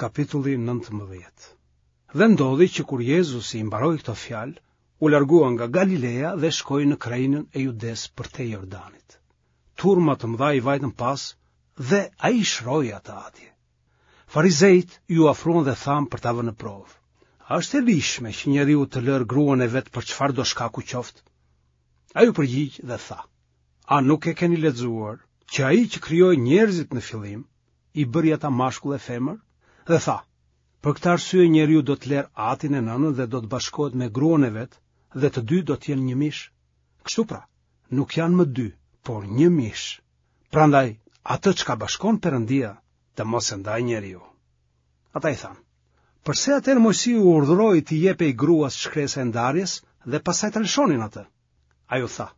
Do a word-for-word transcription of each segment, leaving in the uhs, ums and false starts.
Kapitulli nëntëmbëdhjetë. Dhe ndodhi që kur Jezusi i mbaroi këto fjalë, u largua nga Galilea dhe shkoi në krahinën e Judesë përtej Jordanit. Turma të mëdha i vajtën pas dhe ai i shëroi ata atje. Farizejtë iu afruan dhe thanë për ta vënë në provë. A është e ligjshme që njeriu të lërë gruan e vet për çfarëdo shkaku qoftë? Ai u përgjigj dhe tha: A nuk e keni lexuar që ai që krijoi njerëzit në fillim, i bëri ata mashkull e femër? Dhe tha: Për këtë arsye njeriu do të lërë atin e nënën dhe do të bashkohet me gruan e vet dhe të dy do të jenë një mish. Kështu pra, nuk janë më dy, por një mish. Prandaj, atë çka bashkon Perëndia, të mos e ndajë njeriu. Ata i thanë: Përse atëherë Moisiu urdhëroi t'i jepej gruas shkresa e ndarjes dhe pastaj ta lëshonin atë? Ai u tha: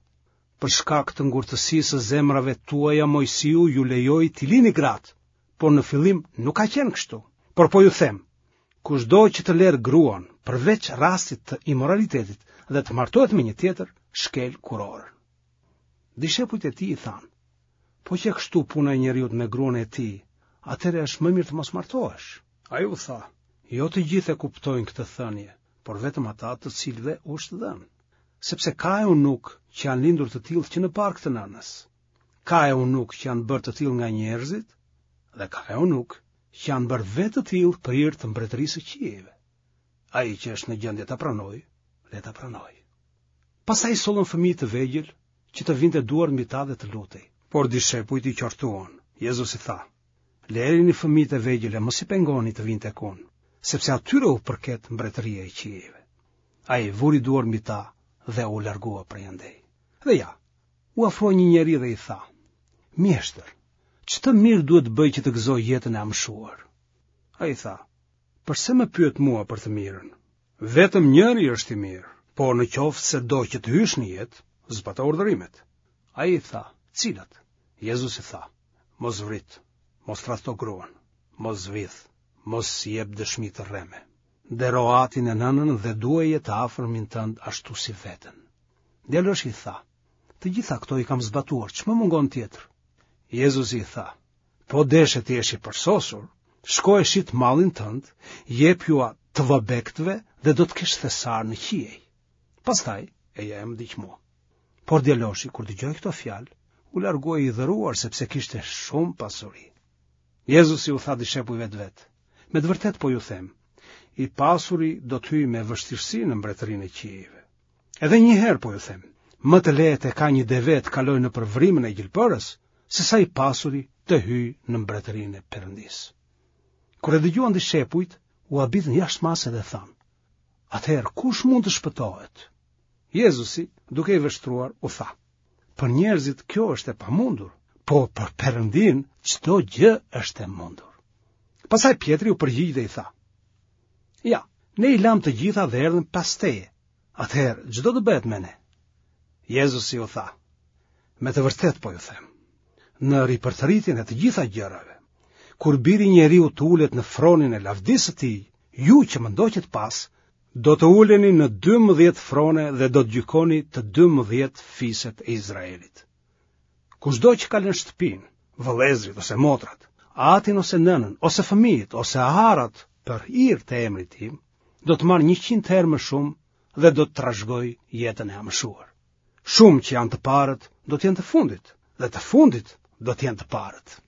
Për shkak të ngurtësisë së zemrave tuaja Moisiu ju lejoi t'i lini gratë, por në fillim nuk ka qenë kështu. Por po ju them, kushdo që të lerë gruan përveç rastit të imoralitetit dhe të martohet me një tjetër, shkel kurorën. Dishepujt e tij i thanë: Po qe kështu puna e njeriut me gruan e tij, atëherë është më mirë të mos martohesh. Ai u tha: Jo të gjithë e kuptojnë këtë thënie, por vetëm ata të cilëve u është dhënë. Sepse ka eunukë që janë lindur të tillë që në bark të nënës. Ka eunukë që janë bërë të tillë nga njerëzit dhe ka eunukë që janë bërë vetë të tillë për hir të mbretërisë së qiejve. Ai që është në gjendje ta pranojë, le ta pranojë. Pastaj sollën fëmijë të vegjël që të vinte duart mbi ta dhe të lutej. Por dishepujt i qortuan. Jezusi tha: Lërini fëmijët e vegjël e mos i pengoni të vijnë tek unë, sepse atyre u përket mbretëria e qiejve. Ai vuri duart mbi ta dhe u largua prej andej. Dhe ja, u afrua një njeri dhe i tha: Mjeshtër, ç'të mirë duhet të bëj që të gëzoj jetën e amshuar? Ai tha: Përse më pyet mua për të mirën? Vetëm njëri është i mirë, por në qoftë se do që të hysh në jetë, zbato urdhërimet. Ai i tha: Cilat? Jezusi tha: Mos vrit, mos tradhto gruan, mos vidh, mos jep dëshmi të rreme. Ndero atin e nënën dhe duaje të afërmin tënd ashtu si veten. Djaloshi i tha: Të gjitha këto i kam zbatuar, ç'më mungon tjetër? Jezusi i tha: Po deshe të jesh i përsosur, shko e shit mallin tënd, jepjua të vobektëve dhe do të kesh thesar në qiej. Pastaj eja e më ndiq mua. Por djaloshi, kur dëgjoi këto fjalë, u largua i hidhëruar sepse kishte shumë pasuri. Jezusi u tha dishepujve të vet: Me të vërtetë po ju them, i pasuri do të hyjë me vështirësi në mbretërinë e qiejve. Edhe një herë po ju them, më të lehtë e ka një deve të kalojë nëpër vrimën e gjilpërës, se sa i pasuri të hyjë në mbretërinë e Perëndisë. Kur e dëgjuan dishepujt, u habitën jashtë mase dhe thanë: Atëherë kush mund të shpëtohet? Jezusi, duke i vështruar, u tha: Për njerëzit kjo është e pamundur, po për Perëndinë çdo gjë është e mundur. Pastaj Pjetri u përgjigj dhe i tha: Ja, ne i lamë të gjitha dhe erdhëm pas teje. Atëherë, ç'do të bëhet me ne? Jezusi u tha: Me të vërtetë po ju them, në ripërtëritjen e të gjitha gjërave, kur biri i njeriut të ulet në fronin e lavdisë së tij, ju që më ndoqët pas, do të uleni në dymbëdhjetë frone dhe do të gjykoni të dymbëdhjetë fiset e Izraelit. Kushdo që ka lënë shtëpinë, vëllezërit ose motrat, atin ose nënën, ose fëmijët, ose arat për hir të emrit tim, do të marrë njëqind herë më shumë dhe do të trashëgojë jetën e amshuar. Shumë që janë të parët do të jenë të fundit, dhe të fundit do të jenë të parët.